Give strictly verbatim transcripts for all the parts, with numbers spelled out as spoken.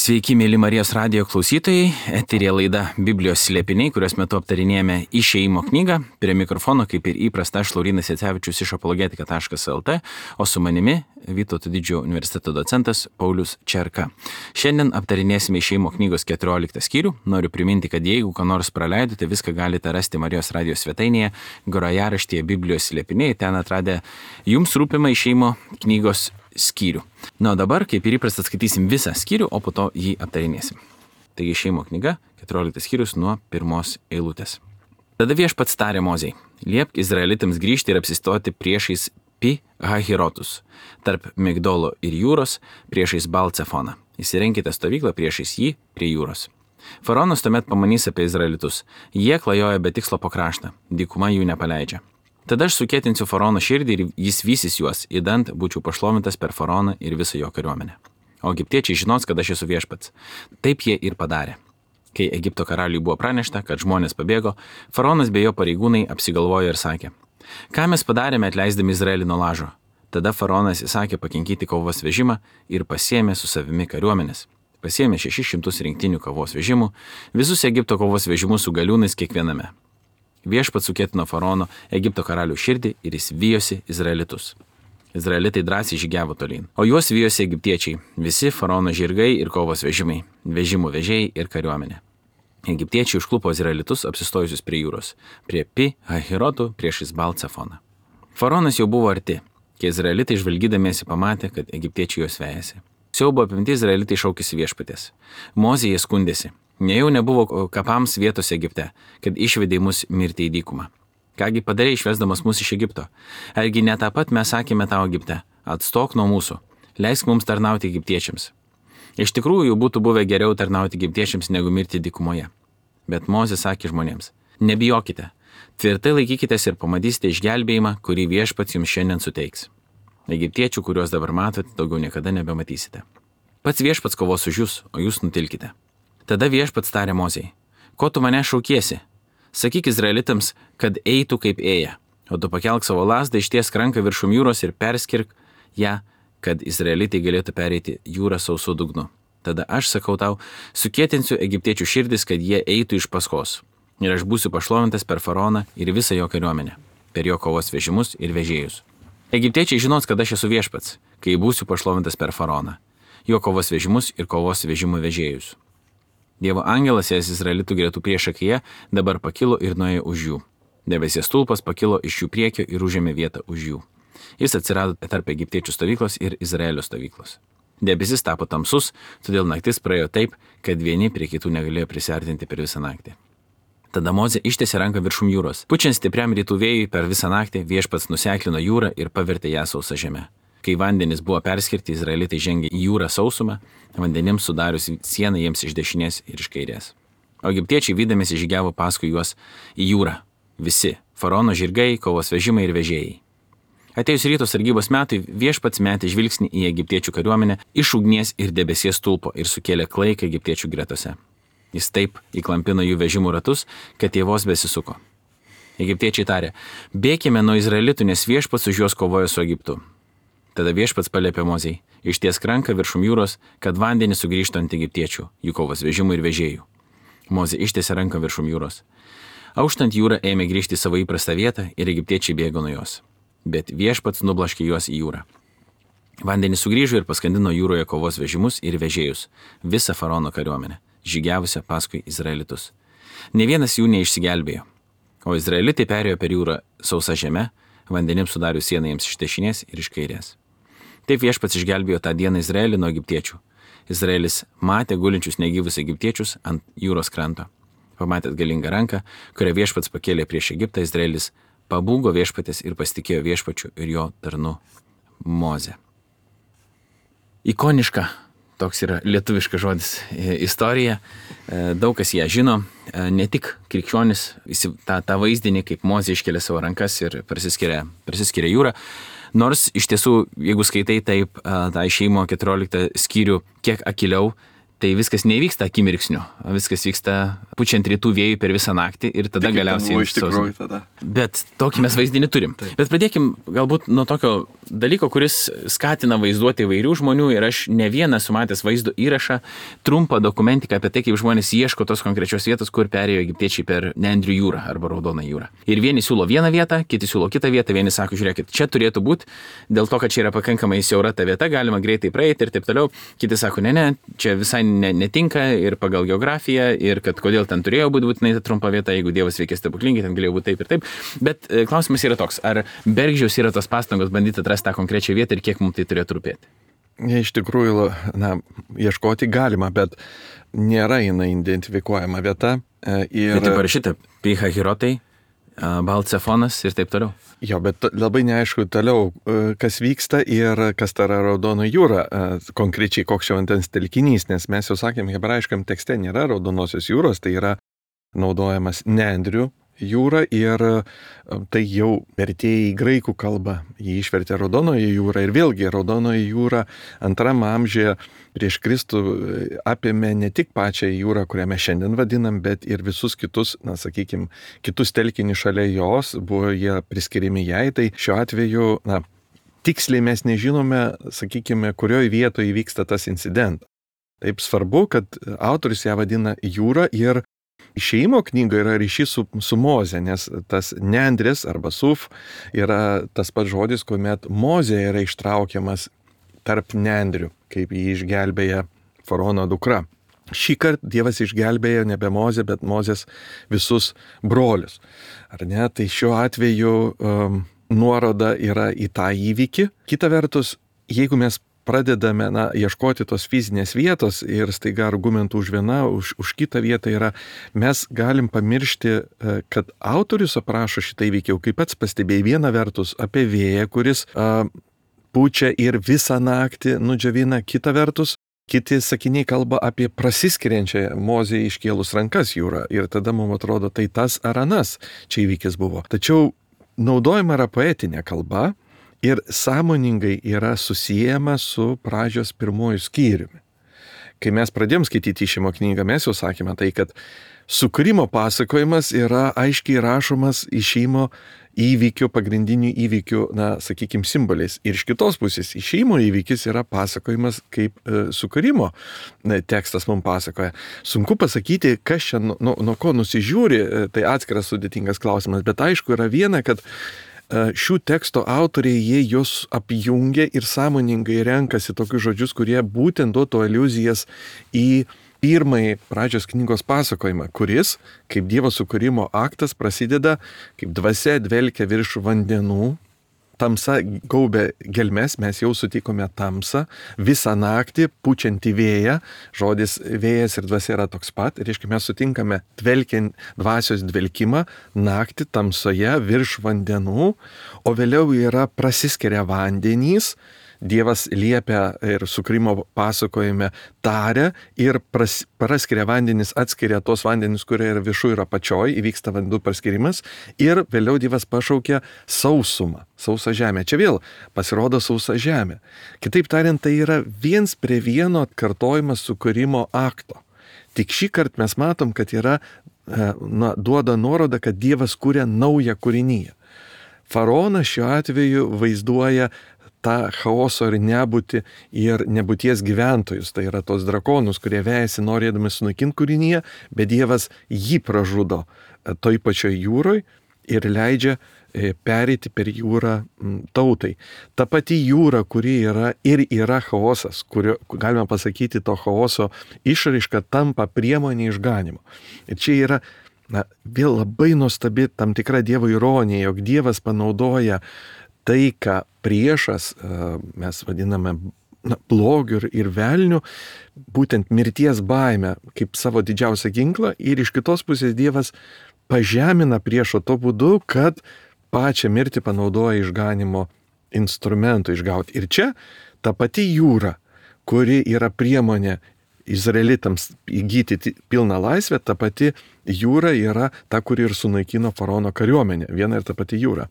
Sveiki, mėly Marijos radijo klausytojai, eterija laida Biblijos slėpiniai, kurios metu aptarinėjame Išėjimo knygą. Prie mikrofono, kaip ir įprasta, aš Laurynas Jacevičius iš apologetika taškas lt, o su manimi Vytauto Didžiojo universiteto docentas Paulius Čerka. Šiandien aptarinėsime Išėjimo knygos keturioliktą skyrių. Noriu priminti, kad jeigu ką nors praleidote, viską galite rasti Marijos radijo svetainėje, grojaraštyje Biblijos slėpiniai, ten atradę jums rūpimą Išėjimo knygos skyrių. Na, o dabar, kaip ir įprasta, skaitysim visą skyrių, o po to jį aptarinėsim. Taigi Išėjimo knyga, keturioliktas skyrius nuo pirmos eilutės. Tada Viešpats tarė Mozei: liepk Izraelitams grįžti ir apsistoti priešais Pi Hahirotus, tarp Migdolo ir jūros, priešais Balcefoną. Įsirenkite stovyklą priešais jį prie jūros. Faraonas tuomet pamanys apie Izraelitus. Jie klajoja be tikslo po kraštą, dykuma jų nepaleidžia. Tada aš sukėtinsiu faraono širdį ir jis vysis juos, įdant būčiau pašlovintas per faraoną ir visą jo kariuomenę. O egiptiečiai žinos, kad aš esu Viešpats. Taip jie ir padarė. Kai Egipto karaliui buvo pranešta, kad žmonės pabėgo, faraonas bei jo pareigūnai apsigalvojo ir sakė: ką mes padarėme atleisdami Izraelį nuo lažo? Tada faraonas įsakė pakinkyti kovos vežimą ir pasiėmė su savimi kariuomenės. Pasiėmė šešis šimtus rinktinių kovos vežimų, visus Egipto kovos vežimus su galiūnais kiekviename. Viešpats sukėtino faraono Egipto karalių širdį ir jis vijosi Izraelitus. Izraelitai drąsiai žygiavo tolyn, o juos vijosi egiptiečiai, visi faraono žirgai ir kovos vežimai, vežimų vežėjai ir kariuomenė. Egiptiečiai užklupo Izraelitus apsistojusius prie jūros, prie Pi Hahirotų priešais Balcefoną. Faraonas jau buvo arti, kai Izraelitai žvalgydamiesi pamatė, kad egiptiečiai juos vejasi. Siaubo apimti Izraelitai šaukėsi Viešpaties. Mozė jie skundėsi: nejau nebuvo kapams vietos Egipte, kad išvedei mus mirti į dykumą. Kągi padarei išvesdamas mus iš Egipto? Argi ne tą pat mes sakėme tau Egipte: atstok nuo mūsų, leisk mums tarnauti egiptiečiams. Iš tikrųjų būtų buvę geriau tarnauti egiptiečiams negu mirti dykumoje. Bet Mozė sakė žmonėms: nebijokite, tvirtai laikykitės ir pamatysite išgelbėjimą, kurį Viešpats jums šiandien suteiks. Egiptiečių, kuriuos dabar matote, daugiau niekada nebematysite. Pats Viešpats kovos už jūs, o jūs nutilkite. Tada Viešpats tarė Mozei: ko tu mane šaukiesi? Sakyk Izraelitams, kad eitų kaip ėja, o tu pakelk savo lazdą, ištiesk ranką viršum jūros ir perskirk ją, kad Izraelitai galėtų pereiti jūrą sausu dugnu. Tada aš sakau tau, sukėtinsiu egiptiečių širdis, kad jie eitų iš paskos. Ir aš būsiu pašlovintas per faraoną ir visą jo kariuomenę, per jo kovos vežimus ir vežėjus. Egiptiečiai žinos, kad aš esu Viešpats, kai būsiu pašlovintas per faraoną, jo kovos vežimus ir kovos vežimų vežėjus. Dievo angelas jas Izraelitų gretų priešakyje dabar pakilo ir nuėjo už jų. Debesies stulpas pakilo iš jų priekio ir užėmė vietą už jų. Jis atsirado tarp egiptiečių stovyklos ir Izraelio stovyklos. Debesis tapo tamsus, todėl naktis praėjo taip, kad vieni prie kitų negalėjo prisiartinti per visą naktį. Tada Mozė ištiesė ranką viršum jūros. Pučiant stipriam rytų vėjui per visą naktį, Viešpats nuseklino jūrą ir pavertė ją sausą žemę. Kai vandenys buvo perskirti, Izraelitai žengė į jūrą sausumą, vandenims sudarius sieną jiems iš dešinės ir iš kairės. O egiptiečiai vydamiesi žygiavo paskui juos į jūrą. Visi - faraono žirgai, kovos vežimai ir vežėjai. Atėjus ryto sargybos metui, Viešpats metė žvilgsnį į egiptiečių kariuomenę iš ugnies ir debesies stulpo ir sukėlė klaiką egiptiečių gretose. Jis taip įklampino jų vežimų ratus, kad jie vos besisuko. Egiptiečiai tarė: bėkime nuo Izraelitų, nes Viešpats už juos kovoja su Egiptu. Tada Viešpats paliepė Mozei: ištiesk ranką viršum jūros, kad vandenys sugrįžtų ant egiptiečių, jų kovos vežimų ir vežėjų. Mozė ištiesė ranką viršum jūros. Auštant jūra ėmė grįžti į savo įprastą vietą ir egiptiečiai bėgo nuo jos. Bet Viešpats nublaškė juos į jūrą. Vandenys sugrįžo ir paskandino jūroje kovos vežimus ir vežėjus, visą faraono kariuomenę, žygiavusią paskui Izraelitus. Ne vienas jų neišsigelbėjo. O Izraelitai perėjo per jūrą sausa žeme, vandenims sudarius sieną jiems iš dešinės ir iš kairės. Taip Viešpats išgelbėjo tą dieną Izraelį nuo egiptiečių. Izraelis matė gulinčius negyvus egiptiečius ant jūros kranto. Pamatęs galingą ranką, kurią Viešpats pakėlė prieš Egiptą, Izraelis pabūgo Viešpatės ir pasitikėjo Viešpačiu ir jo tarnu Moze. Ikoniška, toks yra lietuviškas žodis, istorija. Daug kas ją žino, ne tik krikščionis, tą, tą vaizdinį, kaip Mozė iškelia savo rankas ir prasiskiria, prasiskiria jūrą. Nors iš tiesų, jeigu skaitai taip tą Išėjimo keturioliktą skyrių kiek akiliau, tai viskas nevyksta akimirksniu, viskas vyksta pučiant rytų vėjui per visą naktį ir tada tai galiausiai... Iš tikrųjų tada. Bet tokį mes vaizdinį turim. Taip. Bet pradėkim galbūt nuo tokio dalyko, kuris skatina vaizduoti įvairių žmonių ir aš ne vieną sumatęs vaizdo įrašą, trumpą dokumentiką apie tai, kaip žmonės ieško tos konkrečios vietos, kur perėjo egiptiečiai per Nendrių jūrą arba Raudoną jūrą. Ir vieni siūlo vieną vietą, kiti siūlo kitą vietą, vieni sako, žiūrėkit, čia turėtų būti, dėl to, kad čia yra pakankamai siaura ta vieta, galima greitai praeiti ir taip toliau. Kiti sako, ne, ne, čia visai ne, netinka ir pagal geografiją ir kad kodėl ten turėjo būti būtinai ta trumpa vieta, jeigu Dievas veikia stebuklingai, ten galėjo būti taip ir taip. Bet e, klausimas yra toks, ar Bergždžiaus yra tos pastangos bandyti atrasti tą konkrečią vietą ir kiek mums tai turėtų rūpėti? Iš tikrųjų, na, ieškoti galima, bet nėra jinai identifikuojama vieta. Ir... Tai parašyta, Pihahirotai, Balcefonas ir taip toliau. Jo, bet labai neaišku toliau, kas vyksta ir kas ta Raudona jūra, konkrečiai koks čia vandens telkinys, nes mes jau sakėm, hebrajiškam tekste nėra Raudonosios jūros, tai yra naudojamas Nendrių jūra ir tai jau vertėjai į graikų kalbą, jį išvertė Raudonoji jūra ir vėlgi Raudonoji jūra antram amžiuje prieš Kristų apėmė ne tik pačią jūrą, kurią mes šiandien vadinam, bet ir visus kitus, na, sakykime, kitus telkinius šalia jos, buvo jie priskiriami jai, tai šiuo atveju, na, tiksliai mes nežinome, sakykime, kurioje vietoje vyksta tas incidentas. Taip svarbu, kad autorius ją vadina jūra ir Išėjimo knyga yra ryšys su, su Moze, nes tas Nendris arba Suf yra tas pats žodis, kuomet Moze yra ištraukiamas tarp Nendrių, kaip jį išgelbėja faraono dukra. Šį kartą Dievas išgelbėjo nebe Mozę, bet Mozės visus brolius. Ar ne? Tai šiuo atveju um, nuoroda yra į tą įvykį. Kita vertus, jeigu mes pradedame na, ieškoti tos fizinės vietos ir staiga argumentų už vieną, už, už kitą vietą yra, mes galim pamiršti, kad autorius aprašo šitą įvykį, jau kaip pats pastebėjai, viena vertus apie vėją, kuris a, pučia ir visą naktį nudžiavina, kita vertus, kiti sakiniai kalba apie prasiskiriančią Mozei iškėlus rankas jūrą ir tada mums atrodo, tai tas ar anas čia įvykis buvo. Tačiau naudojama yra poetinė kalba, ir sąmoningai yra susijęma su pradžios pirmojų skyriumi. Kai mes pradėjom skaityti Išėjimo knygą, mes jau sakėme tai, kad sukūrimo pasakojimas yra aiškiai rašomas Išėjimo įvykių, pagrindinių įvykių, na, sakykime, simboliais. Ir iš kitos pusės Išėjimo įvykis yra pasakojimas kaip e, sukūrimo ne, tekstas mums pasakoja. Sunku pasakyti, kas čia nuo, nuo ko nusižiūri, e, tai atskiras sudėtingas klausimas, bet aišku yra viena, kad šių teksto autoriai, jie juos apjungia ir sąmoningai renkasi tokius žodžius, kurie būtent duotų aliuzijas į pirmąjį pradžios knygos pasakojimą, kuris, kaip Dievo sukūrimo aktas, prasideda, kaip dvasia dvelkia virš vandenų, tamsa gaubė gelmes, mes jau sutikome tamsą, visą naktį pučiantį vėją, žodis vėjas ir dvasia yra toks pat, ir reiškia mes sutinkame dvelkiant dvasios dvelkimą naktį tamsoje virš vandenų, o vėliau yra prasiskiria vandenys, Dievas liepia ir sukūrimo pasakojime taria ir pras, praskiria vandenis, atskiria tos vandenis, kurie yra viršų ir apačioj, įvyksta vandų praskirimas ir vėliau Dievas pašaukia sausumą, sausą žemę. Čia vėl pasirodo sausa žemė. Kitaip tariant, tai yra viens prie vieno atkartojimas sukūrimo akto. Tik šį kartą mes matom, kad yra, na, duoda nuorodą, kad Dievas kūrė naują kūrinyje. Faraonas šiuo atveju vaizduoja tą chaoso ir nebūtį ir nebūties gyventojus, tai yra tos drakonus, kurie vejasi norėdami sunaikinti kūrinyje, bet Dievas jį pražudo toj pačioj jūroj ir leidžia pereiti per jūrą tautai. Ta pati jūra, kuri yra ir yra chaosas, kurio, galima pasakyti, to chaoso išraiška tampa priemonė išganimo. Ir čia yra na, vėl labai nuostabi tam tikra Dievo ironija, jog Dievas panaudoja tai, ką priešas, mes vadiname na, blogiu ir, ir velniu, būtent mirties baimę kaip savo didžiausią ginklą ir iš kitos pusės Dievas pažemina priešo to būdu, kad pačią mirtį panaudoja išganimo instrumentų išgauti. Ir čia ta pati jūra, kuri yra priemonė izraelitams įgyti pilną laisvę, ta pati jūra yra ta, kuri ir sunaikino faraono kariuomenę, viena ir ta pati jūra.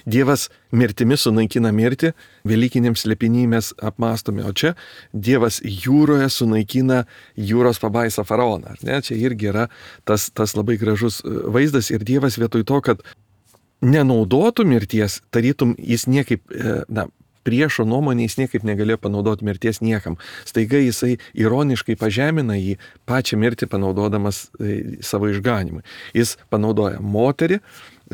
Dievas mirtimi sunaikina mirtį, velykiniam slėpiny mes apmastome, o čia Dievas jūroje sunaikina jūros pabaisą faraoną. Ne? Čia irgi yra tas, tas labai gražus vaizdas ir Dievas vietoj to, kad nenaudotų mirties, tarytum jis niekaip, na, priešo nuomonė jis niekaip negalėjo panaudoti mirties niekam. Staiga jisai ironiškai pažemina jį pačią mirtį panaudodamas savo išganimui. Jis panaudoja moterį,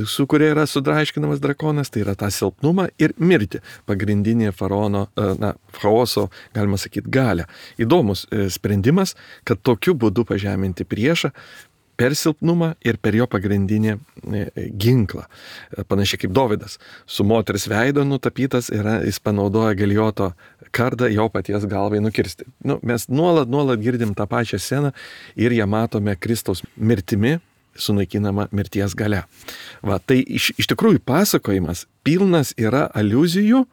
su kuria yra sudraiškinamas drakonas, tai yra tą silpnumą ir mirtį, pagrindinė faraono, na, chaoso, galima sakyti, galia. Įdomus sprendimas, kad tokiu būdu pažeminti priešą per silpnumą ir per jo pagrindinį ginklą. Panašiai kaip Dovydas. Su moters veido nutapytas yra, jis panaudoja Galijoto kardą jo paties galvai nukirsti. Nu, mes nuolat, nuolat girdim tą pačią sceną ir ją matome Kristaus mirtimi sunaikinama mirties galia. Va, tai iš, iš tikrųjų pasakojimas pilnas yra aliuzijų,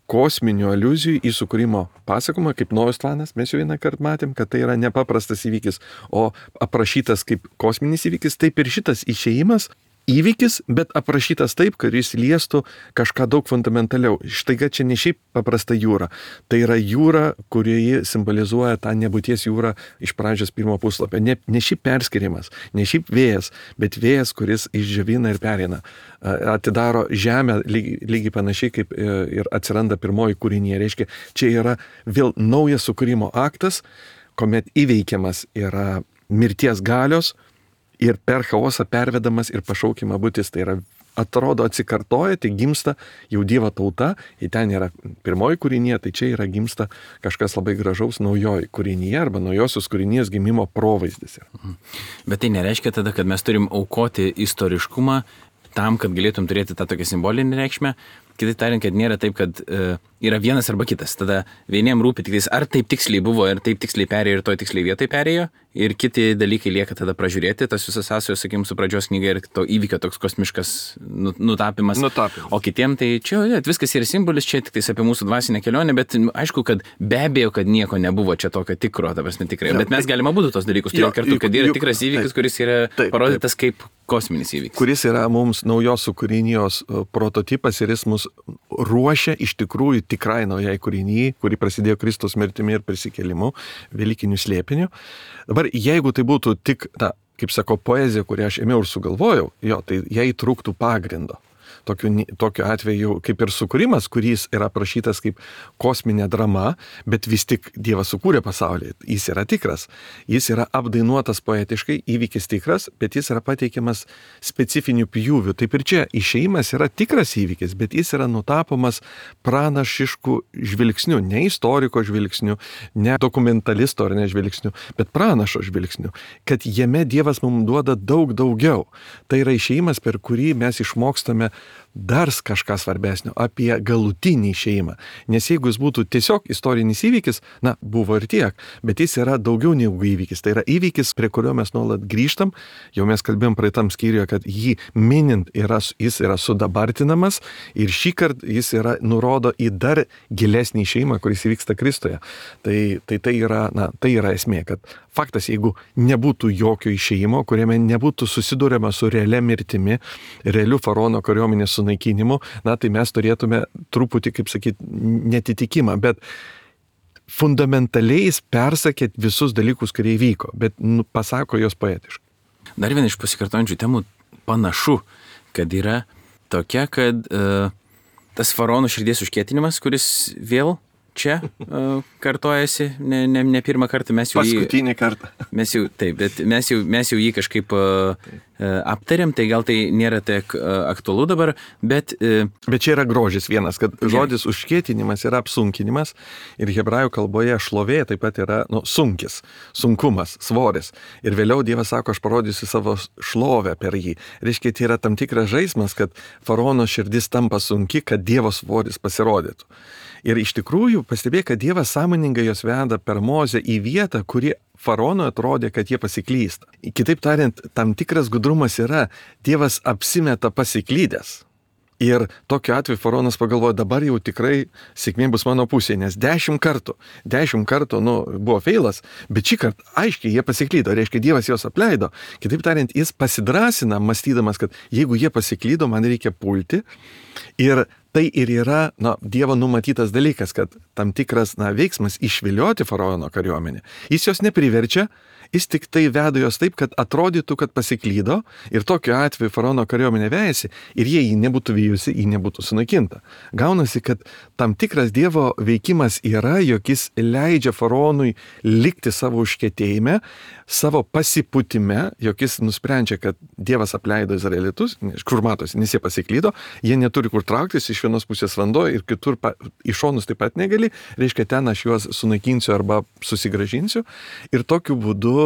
kosminių aliuzijų į sukūrimo pasakojimą, kaip Nojos tvanas, mes jau vieną kartą matėm, kad tai yra nepaprastas įvykis, o aprašytas kaip kosminis įvykis, taip ir šitas išėjimas įvykis, bet aprašytas taip, kad jis liestų kažką daug fundamentaliau. Štaiga čia ne šiaip paprasta jūra, tai yra jūra, kurioje simbolizuoja tą nebūties jūrą iš pradžios pirmo puslapio. Ne, ne šiaip perskirimas, ne šiaip vėjas, bet vėjas, kuris išdžiovina ir perina. Atidaro žemę lygiai, lygiai panašiai kaip ir atsiranda pirmoji kūrinė. Reiškia, čia yra vėl naujas sukūrimo aktas, kuomet įveikiamas yra mirties galios, ir per chaosą pervedamas ir pašaukimą būtis, tai yra atrodo atsikartoja, tai gimsta jau Dievo tauta, ir ten yra pirmoji kūrinė, tai čia yra gimsta kažkas labai gražaus naujoji kūrinė arba naujosios kūrinės gimimo provaizdis. Bet tai nereiškia tada, kad mes turim aukoti istoriškumą tam, kad galėtum turėti tą tokią simbolinę reikšmę. Kitaip tariant, kad nėra taip, kad e, yra vienas arba kitas. Tada vieniem rūpi tik tais, ar taip tiksliai buvo, ir taip tiksliai perėjo, ir toj tiksliai vietai perėjo, ir kiti dalykai lieka tada pražiūrėti, tas visas sąsajos, sakykim, su pradžios knyga ir to įvykio toks kosmiškas nutapimas. Nutapimas. O kitiem tai čia ja, viskas yra simbolis, čia tik tais apie mūsų dvasinę kelionę, bet aišku, kad be abejo, kad nieko nebuvo čia tokio tikro, ta prasme tikrai. Bet mes galime būti tos dalykus turėti kartu, kad yra tikras įvykis, kuris yra taip, parodytas taip. Kaip kosminis įvykis. Kuris yra mums naujos kūrinijos prototipas ir jis mus ruošia iš tikrųjų tikrai naujai kūrinijai, kuri prasidėjo Kristaus mirtimi ir prisikėlimu, velykiniu slėpiniu. Dabar, jeigu tai būtų tik, na, kaip sako, poezija, kurią aš ėmiau ir sugalvojau, jo, tai jai trūktų pagrindo. Tokiu, tokiu atveju kaip ir sukūrimas, kuris yra aprašytas kaip kosminė drama, bet vis tik Dievas sukūrė pasaulį. Jis yra tikras. Jis yra apdainuotas poetiškai, įvykis tikras, bet jis yra pateikiamas specifinių pjūvių. Taip ir čia išėjimas yra tikras įvykis, bet jis yra nutapomas pranašiškų žvilgsnių, ne istoriko žvilgsnių, ne dokumentalisto ar ne žvilgsnių, bet pranašo žvilgsnių, kad jame Dievas mums duoda daug daugiau. Tai yra išėjimas, per kurį mes išmokstame dar kažką svarbesnio apie galutinį išėjimą. Nes jeigu jis būtų tiesiog istorinis įvykis, na, buvo ir tiek, bet jis yra daugiau negu įvykis. Tai yra įvykis, prie kurio mes nuolat grįžtam. Jau mes kalbėjom praeitam skyriuje, kad jį minint yra, jis yra sudabartinamas ir šį kartą jis yra nurodo į dar gilesnį išėjimą, kuris įvyksta Kristuje. Tai tai, tai, yra, na, tai yra esmė, kad faktas, jeigu nebūtų jokio išėjimo, kuriame nebūtų susidūrėma su realia mirtimi, realiu faraono kariuomenės sunaikinimu, na, tai mes turėtume truputį, kaip sakyti, netitikimą, bet fundamentaliai jis persakė visus dalykus, kurie įvyko, bet nu, pasako jos poetiškai. Dar viena iš pasikartojančių temų panašu, kad yra tokia, kad uh, tas faraono širdies užkietinimas, kuris vėl čia uh, kartojasi, ne, ne, ne pirmą kartą mes jau jį... Paskutinį kartą. Mes jau, taip, bet mes jau, mes jau jį kažkaip uh, uh, aptarėm, tai gal tai nėra tiek uh, aktualu dabar, bet... Uh, bet čia yra grožis vienas, kad žodis yeah. užkietinimas yra apsunkinimas ir hebrajų kalboje šlovė taip pat yra nu, sunkis, sunkumas, svoris. Ir vėliau Dievas sako, aš parodysiu savo šlovę per jį. Reiškia, tai yra tam tikras žaismas, kad faraono širdis tampa sunki, kad Dievo svoris pasirodytų. Ir iš tikrųjų pastebėjo, kad Dievas sąmoningai jos veda per Mozę į vietą, kuri faraonui atrodė, kad jie pasiklysta. Kitaip tariant, tam tikras gudrumas yra, Dievas apsimeta pasiklydęs, Ir tokiu atveju faraonas pagalvojo, dabar jau tikrai sėkmė bus mano pusėje, nes dešimt kartų, dešimt kartų, nu, buvo feilas, bet šį kartą aiškiai jie pasiklydo, reiškia Dievas juos apleido. Kitaip tariant, jis pasidrasina, mąstydamas, kad jeigu jie pasiklydo, man reikia pulti. Ir tai ir yra, na, Dievo numatytas dalykas, kad tam tikras, na, veiksmas išvilioti faraono kariuomenę. Jis jos nepriverčia, jis tik tai veda jos taip, kad atrodytų, kad pasiklydo ir tokiu atveju faraono kariuomenė vejasi ir jie jį nebūtų vyjusi, jį nebūtų sunaikinta. Gaunasi, kad tam tikras Dievo veikimas yra, jog jis leidžia faraonui likti savo užkietėjime, savo pasiputime, jog jis nusprendžia, kad Dievas apleido izraelitus, kur matosi, nes jie pasiklydo, jie neturi kur trauktis, iš vienos pusės vanduo ir kitur pa, iš šonus taip pat negali, reiškia ten aš juos sunaikinsiu arba susigražinsiu ir tokiu būdu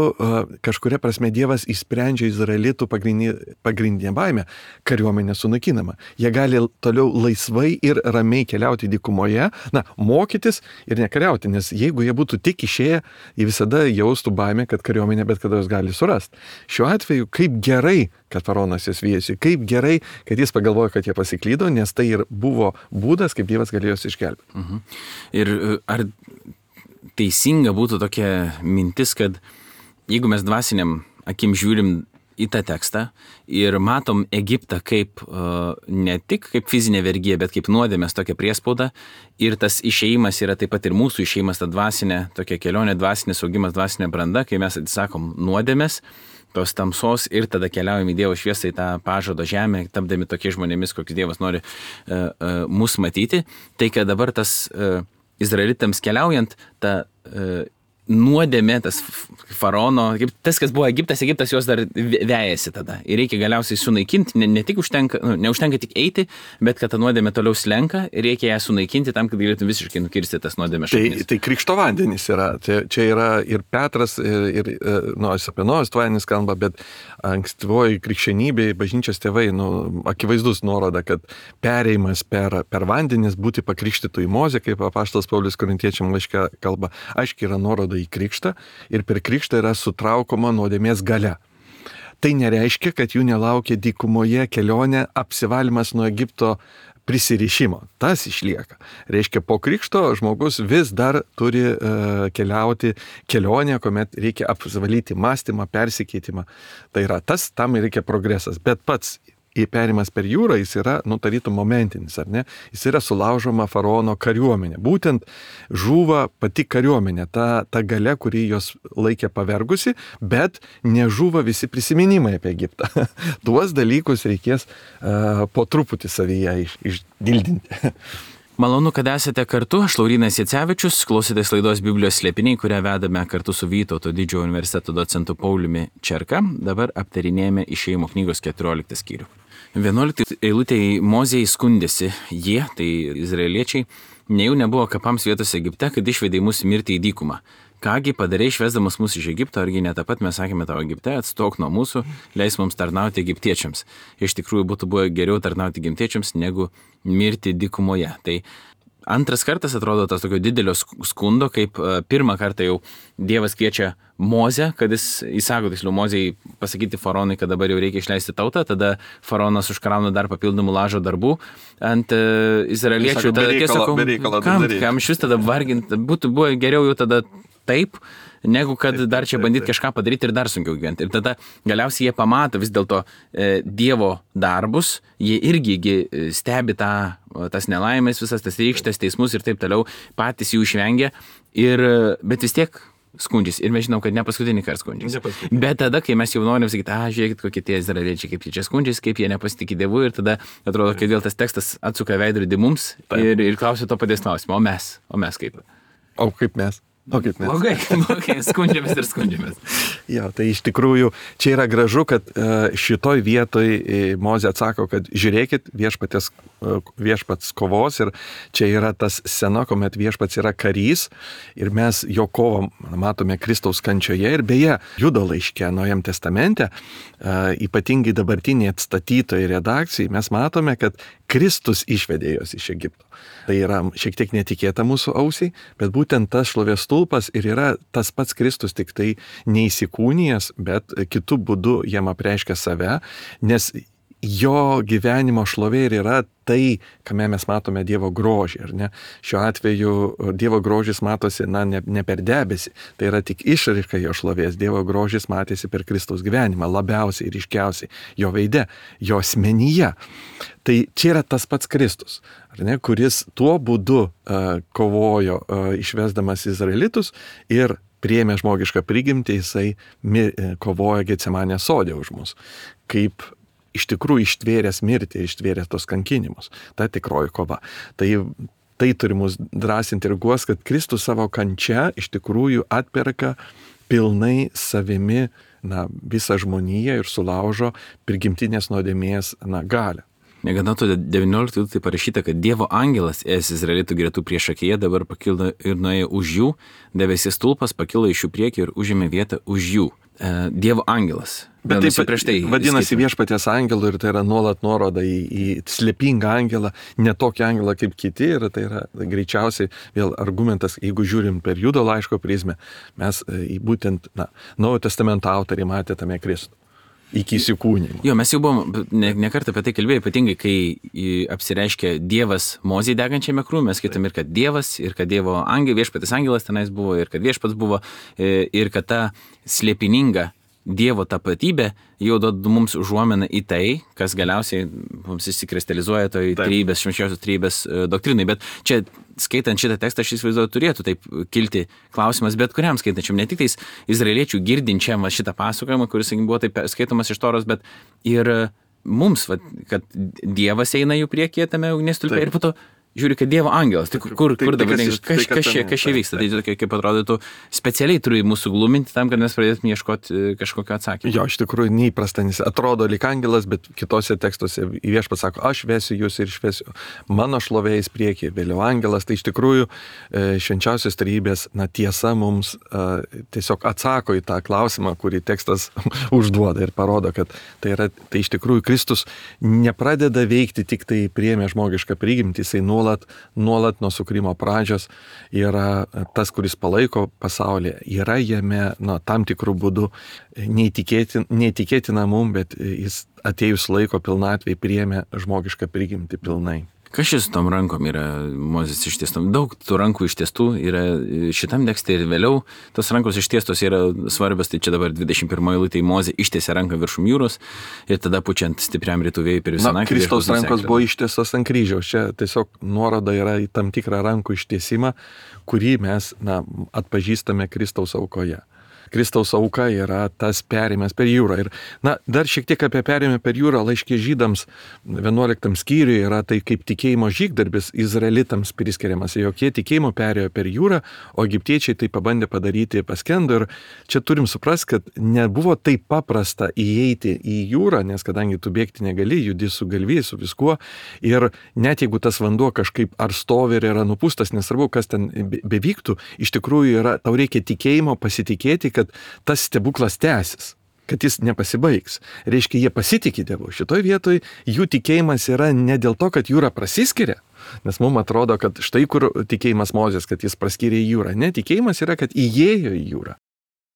kažkuria prasme Dievas išsprendžia izraelitų pagrindinę, pagrindinę baimę - kariuomenė sunaikinama. Jie gali toliau laisvai ir ramiai keliauti dykumoje, na, mokytis ir nekariauti, nes jeigu jie būtų tik išėję, jie visada jaustų baimę, kad kariuomenė bet kada jos gali surasti. Šiuo atveju, kaip gerai, kad faraonas jas viesi, kaip gerai, kad jis pagalvojo, kad jie pasiklydo, nes tai ir buvo būdas, kaip Dievas galėjo juos išgelbėti. Mhm. Ir ar teisinga būtų tokia mintis, kad jeigu mes dvasiniam akim žiūrim į tą tekstą ir matom Egiptą kaip uh, ne tik kaip fizinė vergija, bet kaip nuodėmės tokia priespauda ir tas išėjimas yra taip pat ir mūsų išėjimas, ta dvasinė, tokia kelionė, dvasinis augimas, dvasinė branda, kai mes atsisakom nuodėmės, tos tamsos ir tada keliaujam į Dievo šviesą, į tą pažado žemę, tapdami tokie žmonėmis, kokius Dievas nori uh, uh, mus matyti. Tai, kad dabar tas uh, izraelitams keliaujant, ta uh, nuodėmė, tas faraono, tas, kas buvo Egiptas, Egiptas juos dar vejasi tada. Ir reikia galiausiai sunaikinti, ne, ne tik užtenka, nu, neužtenka tik eiti, bet kad ta nuodėmė toliau slenka ir reikia ją sunaikinti tam, kad galėtum visiškai nukirsti tas nuodėmės šaknis. Tai, tai krikšto vandenys yra. Tai, čia yra ir Petras, ir, ir nu, apie Nojos tvanis kalba, bet ankstyvoji krikščionybė, bažnyčios tėvai, nu, akivaizdus nuoroda, kad pereimas per, per vandenis, būti pakrikštytų į Mozę, kaip apaštalas Paulius Korintiečiam laiške kalba, aiškiai yra nuoroda į krikštą ir per krikštą yra sutraukoma nuodėmės galia. Tai nereiškia, kad jų nelaukia dykumoje kelionė apsivalymas nuo Egipto prisirišimo. Tas išlieka. Reiškia, po krikšto žmogus vis dar turi uh, keliauti kelionę, kuomet reikia apsivalyti mąstymą, persikeitimą. Tai yra tas, tam reikia progresas. Bet pats įperimas per jūrą, jis yra, nu, tarytum momentinis, ar ne? Jis yra sulaužoma faraono kariuomenė. Būtent žūva pati kariuomenė, ta, ta galia, kuri jos laikė pavergusi, bet nežūva visi prisiminimai apie Egiptą. Tuos dalykus reikės uh, po truputį savyje iš, išdildinti. Malonu, kad esate kartu. Aš Laurynas Jacevičius, klausėtės laidos Biblijos slėpiniai, kurią vedame kartu su Vytauto didžiojo universiteto docentu Pauliumi Čerka. Dabar aptarinėjame Išėjimo knygos keturioliktą skyrių. vienuoliktą eilutėje Mozei skundėsi jie, tai izraeliečiai, nejau nebuvo kapams vietos Egipte, kad išvedė mus mirti į dykumą. Kągi padarei išvesdamas mus iš Egipto, argi ne tą pat mes sakėme tavo Egipte, atstok nuo mūsų, leis mums tarnauti egiptiečiams. Iš tikrųjų būtų buvę geriau tarnauti egiptiečiams, negu mirti dykumoje. Tai antras kartas atrodo tas tokio didelio skundo, kaip pirmą kartą jau Dievas kviečia Mozę, kad jis įsako, tiksliau Mozei pasakyti faraonui, kad dabar jau reikia išleisti tautą, tada faraonas užkrauna dar papildomų lažo darbų ant uh, izraeliečių. Tada tiesiog, kam, kam šis tada varginti, būtų buvo geriau jau tada taip, negu kad taip, dar čia bandyti kažką padaryti ir dar sunkiau gyventi. Ir tada galiausiai jie pamato vis dėlto e, Dievo darbus, jie irgi stebi tą, tas nelaimės, visas tas rykštės, teismus ir taip toliau, patys jų išvengia, ir, bet vis tiek skundžiasi. Ir mes žinom, kad ne paskutinį kartą skundžiasi. Bet tada, kai mes jau norim sakyti, a, žiūrėkit, kokie tie izraeliečiai, kaip jie čia skundžiasi, kaip jie nepasitikė Dievu, ir tada atrodo, kad vėl tas tekstas atsuka veidrodį mums ir, ir klausia to paties klausimo, o mes, o mes kaip? O kaip mes? O kaip mes? Blogai, blogai, skundžiamės ir skundžiamės. Jo, tai iš tikrųjų čia yra gražu, kad šitoj vietoj Mozė atsako, kad žiūrėkit, viešpatės, viešpats kovos ir čia yra tas scena, kuomet viešpats yra karys ir mes jo kovą matome Kristaus kančioje ir beje, Judo laiške Naujam testamente, ypatingai dabartiniai atstatytojai redakcijai, mes matome, kad Kristus išvedė jos iš Egipto. Tai yra šiek tiek netikėta mūsų ausiai, bet būtent tas šlovės stulpas ir yra tas pats Kristus, tik tai neįsikūnijęs, bet kitų būdų jam apreiškia save, nes jo gyvenimo šlovė ir yra tai, kame mes matome Dievo grožį, ar ne? Šiuo atveju Dievo grožis matosi, na, ne, ne per debesį, tai yra tik išraiška jo šlovės. Dievo grožis matėsi per Kristaus gyvenimą, labiausiai ir ryškiausiai jo veide, jo asmenyje. Tai čia yra tas pats Kristus, ar ne, kuris tuo būdu uh, kovojo, uh, išvesdamas Izraelitus ir priėmė žmogišką prigimtį, jisai mir, kovojo Getsemanės sode už mus. Kaip iš tikrųjų ištvėręs mirtį, ištvėręs tos kankinimus. Ta tikroji kova. Tai, tai turi mus drąsinti ir guos, kad Kristus savo kančia iš tikrųjų atperka pilnai savimi, na, visą žmoniją ir sulaužo prigimtinės nuodėmės, na, galią. Negana to devynioliktoje tai parašyta, kad Dievo angelas ėjęs Izraelitų gretų priešakyje dabar pakilo ir nuėjo už jų, debesis stulpas pakilo iš jų priekį ir užėmė vietą už jų. Dievo angelas. Bet taip prieš tai vadinasi skaitome. Viešpaties angelų ir tai yra nuolat nuoroda į, į slėpingą angelą, ne tokį angelą kaip kiti ir tai yra greičiausiai vėl argumentas, jeigu žiūrim per Judo laiško prizmę, mes į būtent, na, Naujojo testamento autoriai matė tame Kristų. Iki įsikūnimo. Jo, mes jau buvom ne, ne kartą apie tai kalbėję, ypatingai, kai apsireiškė Dievas Mozei degančiame krūme, mes skaitom ir kad Dievas, ir kad Dievo angel, viešpatis angelas tenais buvo, ir kad viešpats buvo, ir kad ta slėpininga Dievo tapatybė jau duoda mums užuomeną į tai, kas galiausiai mums įsikristalizuoja toj trejybės, švenčiausios trejybės doktrinai. Bet čia, skaitant šitą tekstą, aš įsivaizduoju, turėtų taip kilti klausimas bet kuriam skaitančiam, ne tik tais izraeliečių girdinčiam šitą pasakojimą, kuris buvo taip skaitomas iš Toros, bet ir mums, va, kad Dievas eina jų priekyje tame ugnies stulpe ir po to žiūri, kad Dievo angelas, tai kur, kur dabar, kas, kas, kas, čia, kas čia vyksta, tai tokia, kaip atrodytų, specialiai turi mūsų gluminti tam, kad mes pradėtume ieškoti kažkokio atsakymą. Jo, iš tikrųjų neįprasta, nes atrodo lyg angelas, bet kitose tekstuose viešpats sako, aš vesiu jūs ir išvesiu mano šlovėjais priekį, vėliau angelas, tai iš tikrųjų švenčiausios trejybės, na, tiesa mums tiesiog atsako į tą klausimą, kurį tekstas užduoda ir parodo, kad tai yra, tai iš tikrųjų Kristus nepradeda veikti tik tai priėmė žmogišką prigimtį, jisai nuolat Nuolat, nuolat nuo sukūrimo pradžios yra tas, kuris palaiko pasaulyje, yra jame, na, tam tikrų būdų neįtikėtina, neįtikėtina mum, bet jis atėjus laiko pilnatvei priėmė žmogišką prigimtį pilnai. Kas šis tom rankom yra Mozės ištiestom? Daug tų rankų ištiestų yra šitam tekste ir vėliau. Tos rankos ištiestos yra svarbios, tai čia dabar dvidešimt pirmoje eilutėje Mozė ištiesė ranką viršum jūros ir tada pučiant stipriam rytų vėjui per visą naktį. Kristaus rankos buvo ištiestos ant kryžiaus. Čia tiesiog nuoroda yra į tam tikrą rankų ištiesimą, kurį mes, na, atpažįstame Kristaus aukoje. Kristaus auka yra tas perėjimas per jūrą. Ir, na, dar šiek tiek apie perėjimą per jūrą laiške žydams vienuoliktam skyriuje yra tai kaip tikėjimo žygdarbis izraelitams priskiriamas, jog jie tikėjimo perėjo per jūrą, o egiptiečiai tai pabandė padaryti paskendo. Ir čia turim suprasti, kad nebuvo taip paprasta įeiti į jūrą, nes kadangi tu bėgti negali, judi su galvijai, su viskuo. Ir net jeigu tas vanduo kažkaip ar stovi ir yra nupūstas, nesvarbu, kas ten bevyktų, iš tikrųjų yra, tau reikia tikėjimo, pasitikėti, kad kad tas stebuklas tęsis, kad jis nepasibaigs. Reiškia, jie pasitikė Dievu. Šitoj vietoj jų tikėjimas yra ne dėl to, kad jūra prasiskiria, nes mums atrodo, kad štai kur tikėjimas Mozės, kad jis praskyrė į jūrą. Ne, tikėjimas yra, kad įėjo į jūrą.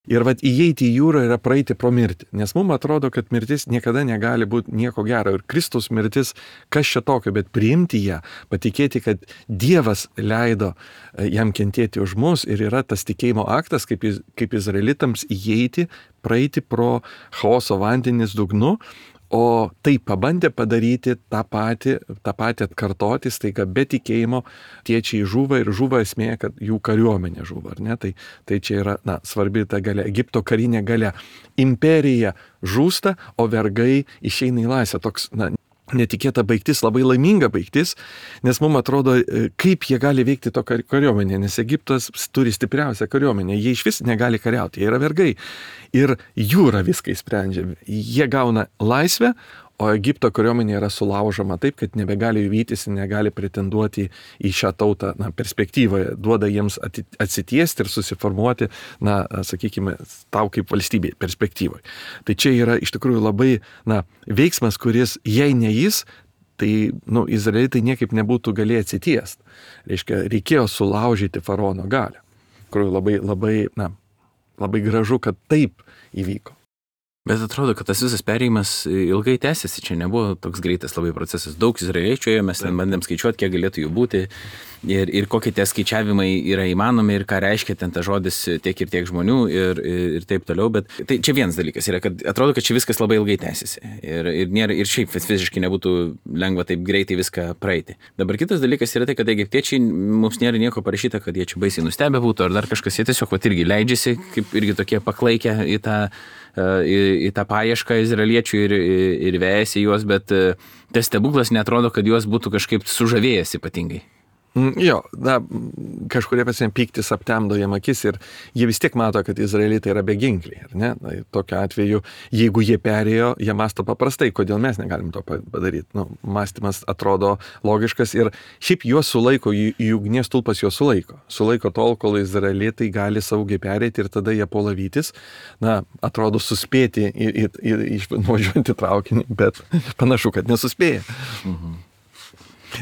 Ir vat įeiti į jūrą yra praeiti pro mirtį, nes mums atrodo, kad mirtis niekada negali būti nieko gero. Ir Kristaus mirtis, kas čia tokio, bet priimti ją, patikėti, kad Dievas leido jam kentėti už mus ir yra tas tikėjimo aktas, kaip, kaip izraelitams įeiti, praeiti pro chaoso vandenis dugnu. O tai pabandė padaryti tą patį, tą patį atkartoti, staiga be tikėjimo tiečiai žuva ir žuva esmė, kad jų kariuomenė žuva, ar ne? Tai, tai čia yra, na, svarbi ta galia, Egipto karinė galia. Imperija žūsta, o vergai išeina į laisvę. Toks, na, netikėta baigtis, labai laiminga baigtis, nes mums atrodo, kaip jie gali veikti to kariuomenė, nes Egiptas turi stipriausią kariuomenę, jie iš vis negali kariauti, jie yra vergai ir jūra viską sprendžia, jie gauna laisvę, o Egipto kariuomenė yra sulaužoma taip, kad nebegali vytis, negali pretenduoti į šią tautą, na, perspektyvoje, duoda jiems atsitiesti ir susiformuoti, na, sakykime, tau kaip valstybė perspektyvoje. Tai čia yra iš tikrųjų labai, na, veiksmas, kuris, jei ne jis, tai, nu, izraelitai niekaip nebūtų galėję atsitiesti. Reiškia, reikėjo sulaužyti faraono galią. Kur labai, labai, na, labai gražu, kad taip įvyko. Bet atrodo, kad tas visas perėjimas ilgai tęsiasi, čia nebuvo toks greitas labai procesas. Daug izraeliečių ėjo, mes ten bandėm skaičiuoti, kiek galėtų jų būti ir, ir kokie tie skaičiavimai yra įmanomi ir ką reiškia ten ta žodis tiek ir tiek žmonių ir, ir, ir taip toliau. Bet tai čia vienas dalykas yra, kad atrodo, kad čia viskas labai ilgai tęsiasi ir, ir, nėra, ir šiaip fiziškai nebūtų lengva taip greitai viską praeiti. Dabar kitas dalykas yra tai, kad egiptiečiai mums nėra nieko parašyta, kad jie čia baisiai nustebę būtų ar dar kažkas, jie tiesiog vat irgi leidžiasi, kaip irgi tokie paklaikę į tą Į, į tą paiešką izraeliečių ir, ir vejasi juos, bet tas stebuklas netrodo, kad juos būtų kažkaip sužavėjęs ypatingai. Jo, na, kažkurie pasien pyktis aptemdo jam akis ir jie vis tiek mato, kad izraelitai yra beginkliai, ar ne? Na, tokiu atveju, jeigu jie perėjo, jie masto paprastai, kodėl mes negalim to padaryti. Nu, mąstymas atrodo logiškas ir šiaip juos sulaiko, jų ugnies stulpas juos sulaiko. Sulaiko tol, kol izraelitai gali saugiai perėti ir tada jie puola vytis. Na, atrodo suspėti ir nuvažiuoti traukinį, bet panašu, kad nesuspėja. Mhm.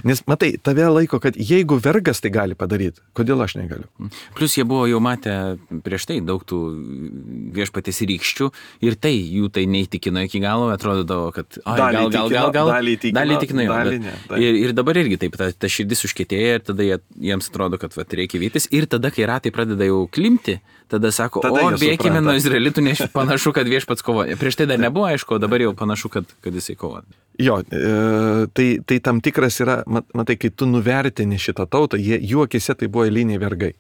Nes, matai, tave laiko, kad jeigu vergas tai gali padaryti, kodėl aš negaliu? Plus jie buvo jau matę prieš tai daug tų viešpatės rykščių ir tai jų tai neįtikino iki galo, atrodavo, kad ai, gal, gal, gal, gal, dalį įtikino, dalį įtikino, dalį ne, dalį. Ir, ir dabar irgi taip, ta, ta širdis užkietėja ir tada jie, jiems atrodo, kad va, reikia vytis ir tada, kai ratai pradeda jau klimti, tada sako, tada o bėkime nuo izraelitų, nes panašu, kad viešpats kovoja. Prieš tai dar nebuvo aišku, dabar jau panašu, kad, kad jisai kovoja. Jo, e, tai, tai tam tikras yra, mat, matai, kai tu nuvertini šitą tautą, jie, jų akise tai buvo eiliniai vergai.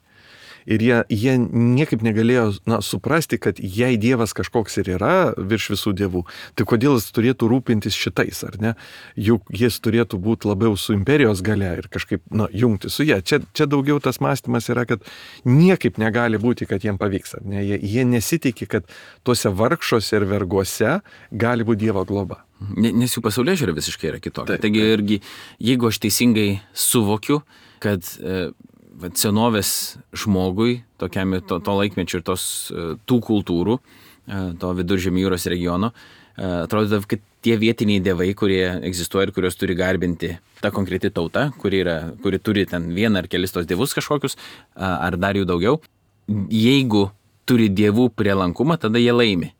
Ir jie, jie niekaip negalėjo na, suprasti, kad jei Dievas kažkoks ir yra virš visų dievų, tai kodėl jis turėtų rūpintis šitais, ar ne? Juk jis turėtų būti labiau su imperijos galia ir kažkaip na, jungti su jie. Čia, čia daugiau tas mąstymas yra, kad niekaip negali būti, kad jiem pavyks. Ar ne? Jie, jie nesitikė, kad tuose vargšuose ir verguose gali būti Dievo globa. Nes jų pasaulėžiūra visiškai yra kitokia. Taigi irgi, jeigu aš teisingai suvokiu, kad e, senovės žmogui, tokiam to, to laikmečio ir tos, tų kultūrų, to viduržemio jūros regiono, atrodo, kad tie vietiniai dievai, kurie egzistuoja ir kurios turi garbinti ta konkreti tauta, kuri, yra, kuri turi ten vieną ar kelis tos dievus kažkokius, ar dar jų daugiau, jeigu turi dievų prielankumą, tada jie laimi.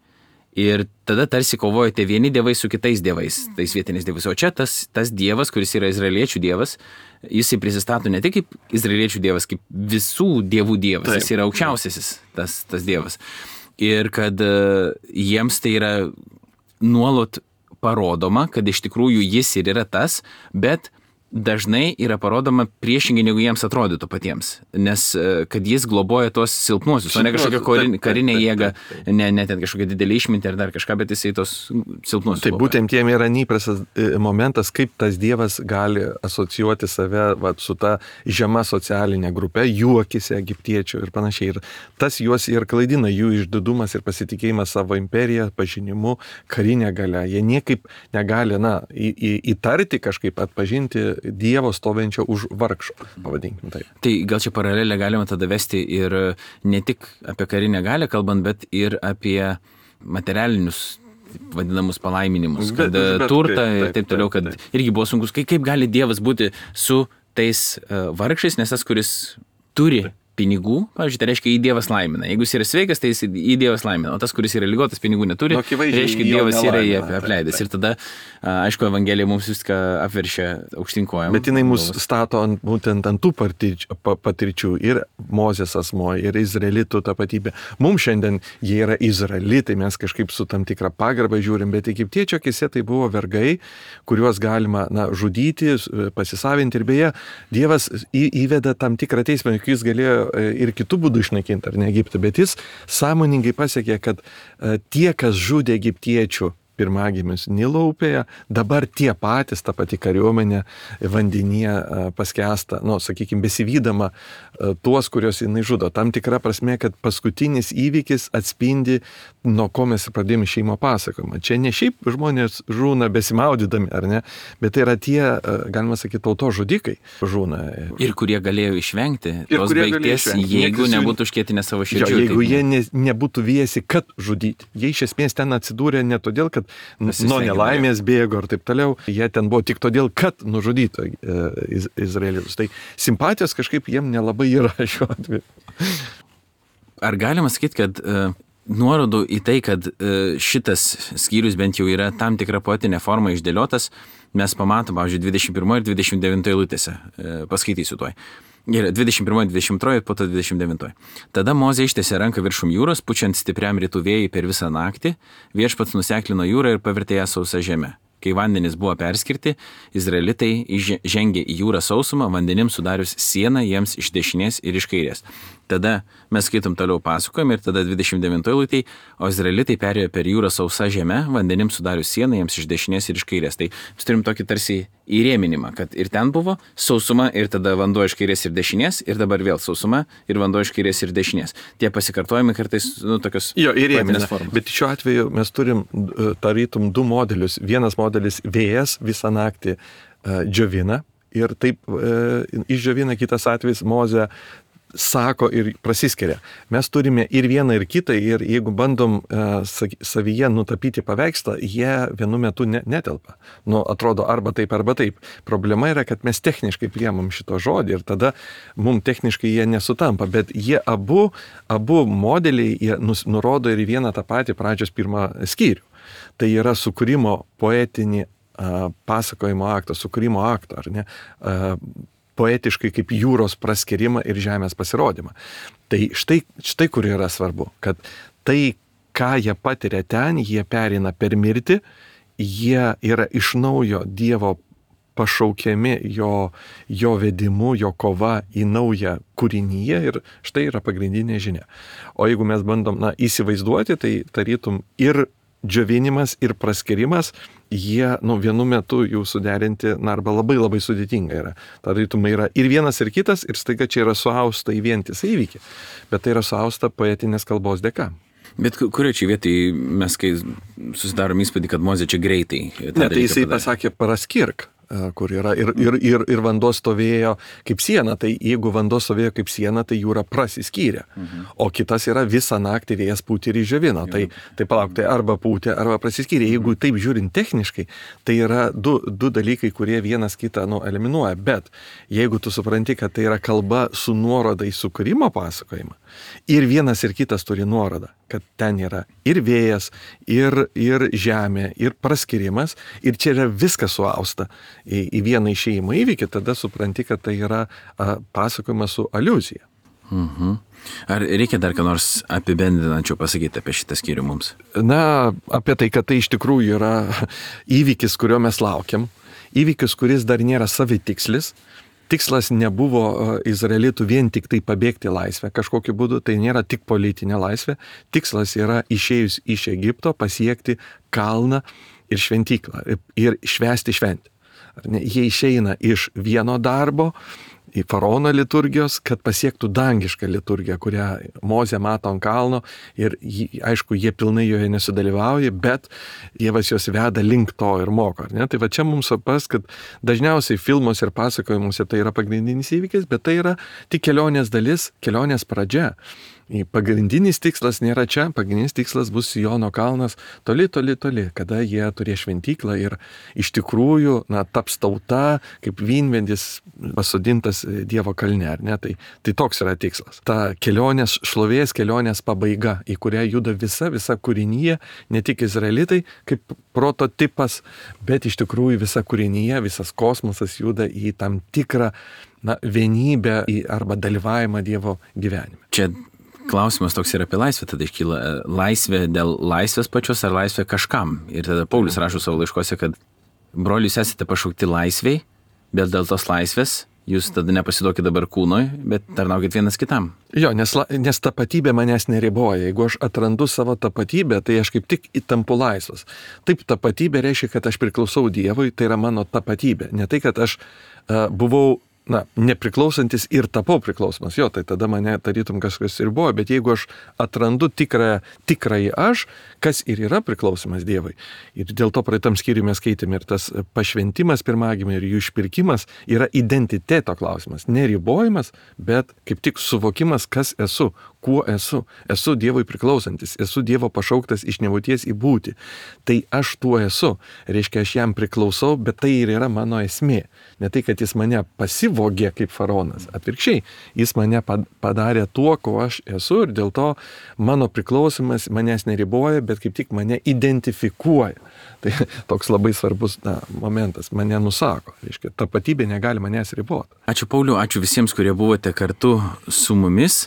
Ir tada tarsi kovoja tie vieni dievai su kitais dievais, tais vietiniais dievais. O čia tas, tas dievas, kuris yra izraeliečių dievas, jisai prisistato ne tik kaip izraeliečių dievas, kaip visų dievų dievas. Taip. Jis yra aukščiausiasis tas, tas dievas. Ir kad uh, jiems tai yra nuolat parodoma, kad iš tikrųjų jis ir yra tas, bet dažnai yra parodoma priešingai, negu jiems atrodytų patiems. Nes kad jis globoja tuos silpnuosius, o ne kažkokią karinę, karinę jėgą, ne, ne ten kažkokią didelį išmintį ar dar kažką, bet jisai tos silpnuosius. Taip, būtent jiem yra neįprastas momentas, kaip tas dievas gali asocijuoti save va, su ta žema socialinė grupė, jų akise egiptiečių ir panašiai. Ir tas juos ir klaidina, jų išdidumas ir pasitikėjimas savo imperiją, pažinimu, karinę galią. Jie niekaip negali, na, į, į, įtarti kažkaip, atpažinti Dievo stovinčio už vargšo, pavadinkim taip. Tai gal čia paralelę galima tada vesti ir ne tik apie karinę galią kalbant, bet ir apie materialinius vadinamus palaiminimus, kad bet, bet, turtą taip, ir taip toliau, kad taip, taip. Irgi buvo sunkus. Kaip, kaip gali Dievas būti su tais uh, vargšais, nes tas, kuris turi taip. Pinigų, pavyzdžiui, tai reiškia, į Dievas laimina. Jeigu jis yra sveikas, tai jis į Dievas laimina, o tas, kuris yra ligotas, pinigų neturi, no, reiškia, Dievas yra jį apleidęs. Ir tada, aišku, Evangelija mums viską apveršia aukštinkojam. Bet jinai mus stato ant, būtent ant tų patirčių, patirčių ir Mozės asmo, ir izraelitų tapatybė. Mums šiandien jie yra izraelitai, mes kažkaip su tam tikrą pagarbą žiūrim, bet egiptiečio akise tai buvo vergai, kuriuos galima na, žudyti, pasisavinti ir beje, Dievas į, įveda tam tikrą teismą, juk jis galėjo ir kitų būdų išnaikinti, ar ne Egiptą, bet jis sąmoningai pasiekė, kad tie, kas žudė egiptiečių pirmagimius Nilo upėje, dabar tie patys, ta pati kariuomenė vandenyje paskęsta, nu, sakykime, besivydama tuos, kuriuos jinai žudo. Tam tikra prasme, kad paskutinis įvykis atspindi, nuo ko mes pradėjome šeimo pasakojimą. Čia ne šiaip žmonės žūna besimaudydami, ar ne, bet tai yra tie, galima sakyti, tauto žudikai žūna. Ir kurie galėjo išvengti tos baigties, jeigu nebūtų užkėtinę savo širdžių. Jeigu taip, jie ne, nebūtų viesi, kad žudyti. Jie iš esmės ten atsidūrė ne todėl, kad nuo nelaimės bėgo ir taip toliau. Jie ten buvo tik todėl, kad nužudyto iz, izraelius. Tai simpatijos kažkaip jiem nelabai yra šiuo atveju. Ar galima sakyti, kad uh, nuorodų į tai, kad šitas skyrius bent jau yra tam tikra poetinė forma išdėliotas, mes pamatom, pavyzdžiui, dvidešimt pirmoje ir dvidešimt devintoje eilutėse. Paskaitysiu tuoj. Gerai, dvidešimt pirmoje, dvidešimt antroje ir po to dvidešimt devintoje. Tada Mozė ištiesė ranką viršum jūros, pučiant stipriam rytų vėjui per visą naktį, viešpats nuseklino jūrą ir pavertė ją sausą žemę. Kai vandenys buvo perskirti, izraelitai žengė į jūrą sausumą, vandenim sudarius sieną jiems iš dešinės ir iš kairės. Tada mes skaitom toliau pasakojimą ir tada dvidešimt devintoje eilutėj, o izraelitai perėjo per jūrą sausa žemę, vandenim sudarius sieną jiems iš dešinės ir iš kairės. Tai mes turim tokį tarsi įrėminimą, kad ir ten buvo sausuma ir tada vanduo iš kairės ir dešinės ir dabar vėl sausuma ir vanduo iš kairės ir dešinės. Tie pasikartojimai kartais, nu, tokios jo, įrėminės formos. Bet šiuo atveju mes turim tarytum du modelius. Vienas modelis vėjas visą naktį uh, džiovina ir taip uh, išdžiovina, kitas atvejis Mozė sako ir prasiskiria. Mes turime ir vieną, ir kitą, ir jeigu bandom uh, savyje nutapyti paveikslą, jie vienu metu ne, netelpa. Nu, atrodo arba taip, arba taip. Problema yra, kad mes techniškai priemam šito žodį ir tada mums techniškai jie nesutampa, bet jie abu, abu modeliai jie nus, nurodo ir vieną tą patį pradžios pirmą skyrių. Tai yra sukūrimo poetinį uh, pasakojimo aktą, sukūrimo aktą, ar ne? Uh, poetiškai kaip jūros praskerimą ir žemės pasirodymą. Tai štai, štai kur yra svarbu, kad tai, ką jie patiria ten, jie pereina per mirtį, jie yra iš naujo Dievo pašaukiami jo, jo vedimu, jo kova į naują kūrinyje ir štai yra pagrindinė žinia. O jeigu mes bandom na, įsivaizduoti, tai tarytum ir džiovinimas ir praskirimas, jie nu, vienu metu jų suderinti, na, arba labai labai sudėtinga yra. Tarytum yra ir vienas, ir kitas, ir staiga čia yra suausta į vientisą įvykį. Bet tai yra suausta poetinės kalbos dėka. Bet kurio čia vietai mes, kai susidarom įspūdį, kad Mozė čia greitai? Ne, tai jisai padarė. Pasakė praskirk, kur yra ir, ir, ir, ir vanduo stovėjo kaip siena, tai jeigu vanduo stovėjo kaip siena, tai jūra prasiskyrė. Mhm. O kitas yra visą naktį vėjas pūtė ir išdžiovino. Tai, tai palauk, tai arba pūtė, arba prasiskyrė. Jeigu taip žiūrint techniškai, tai yra du, du dalykai, kurie vienas kitą nu, eliminuoja. Bet jeigu tu supranti, kad tai yra kalba su nuoroda į sukūrimo pasakojimą, ir vienas ir kitas turi nuorodą, kad ten yra ir vėjas, ir, ir žemė, ir praskirimas, ir čia yra viskas suausta į, į vieną išėjimo įvykį, tada supranti, kad tai yra a, pasakojimas su aliuzija. Mhm. Ar reikia dar ką nors apibendrinančio pasakyti apie šitą skyrių mums? Na, apie tai, kad tai iš tikrųjų yra įvykis, kurio mes laukiam, įvykis, kuris dar nėra savitikslis. Tikslas nebuvo izraelitų vien tik tai pabėgti laisvę kažkokiu būdu, tai nėra tik politinė laisvė. Tikslas yra išėjus iš Egipto pasiekti kalną ir šventyklą ir švęsti šventę. Jie išeina iš vieno darbo į faraono liturgijos, kad pasiektų dangišką liturgiją, kurią Mozė mato ant kalno ir aišku, jie pilnai joje nesudalyvauja, bet Dievas juos veda link to ir moko. Ne? Tai va čia mums supras, kad dažniausiai filmuose ir pasakojimuose tai yra pagrindinis įvykis, bet tai yra tik kelionės dalis, kelionės pradžia. Pagrindinis tikslas nėra čia, pagrindinis tikslas bus Siono kalnas toli, toli, toli, kada jie turės šventyklą ir iš tikrųjų na, taps tauta kaip vynmedis pasodintas Dievo kalne, ar ne? Tai, tai toks yra tikslas. Ta kelionės šlovės, kelionės pabaiga, į kurią juda visa, visa kūrinyje, ne tik izraelitai kaip prototipas, bet iš tikrųjų visa kūrinyje, visas kosmosas juda į tam tikrą na, vienybę arba dalyvavimą Dievo gyvenime. Čia klausimas toks yra apie laisvę, tada iškyla laisvė dėl laisvės pačios ar laisvė kažkam. Ir tada Paulius rašo savo laiškose, kad broliai, jūs esate pašaukti laisviai, bet dėl tos laisvės jūs tada nepasiduokit dabar kūnui, bet tarnaukit vienas kitam. Jo, nes, nes tapatybė manęs neriboja. Jeigu aš atrandu savo tapatybę, tai aš kaip tik įtampu laisvas. Taip, tapatybė reiškia, kad aš priklausau Dievui, tai yra mano tapatybė. Ne tai, kad aš uh, buvau na, nepriklausantis ir tapau priklausomas. Jo, tai tada mane tarytum kažkas ir buvo, bet jeigu aš atrandu tikrąją, tikrąjį aš, kas ir yra priklausomas Dievui. Ir dėl to praeitam skyriui mes skaitėme ir tas pašventimas pirmagimiui ir jų išpirkimas yra identiteto klausimas. Neribojimas, bet kaip tik suvokimas, kas esu, kuo esu. Esu Dievui priklausantis, esu Dievo pašauktas iš nebūties į būtį. Tai aš tuo esu. Reiškia, aš jam priklausau, bet tai ir yra mano esmė. Ne tai, kad jis mane pasyvų nesivogė kaip faraonas. Atvirkščiai, jis mane padarė tuo, ko aš esu ir dėl to mano priklausimas manęs neriboja, bet kaip tik mane identifikuoja. Tai toks labai svarbus na, momentas, mane nusako. Reiškia, tapatybė negali manęs riboti. Ačiū Pauliau, ačiū visiems, kurie buvote kartu su mumis.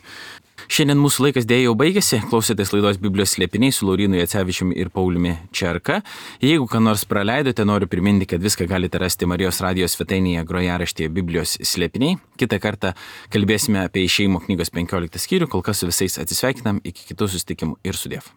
Šiandien mūsų laikas dėja jau baigėsi, klausėtės laidos Biblijos slėpiniai su Laurynu Jacevičiumi ir Pauliumi Čerka. Jeigu ką nors praleidote, noriu priminti, kad viską galite rasti Marijos radijos svetainėje grojaraštyje Biblijos slėpiniai. Kitą kartą kalbėsime apie išėjimo knygos penkioliktą skyrių, kol kas su visais atsisveikinam, iki kitų susitikimų ir sudiev.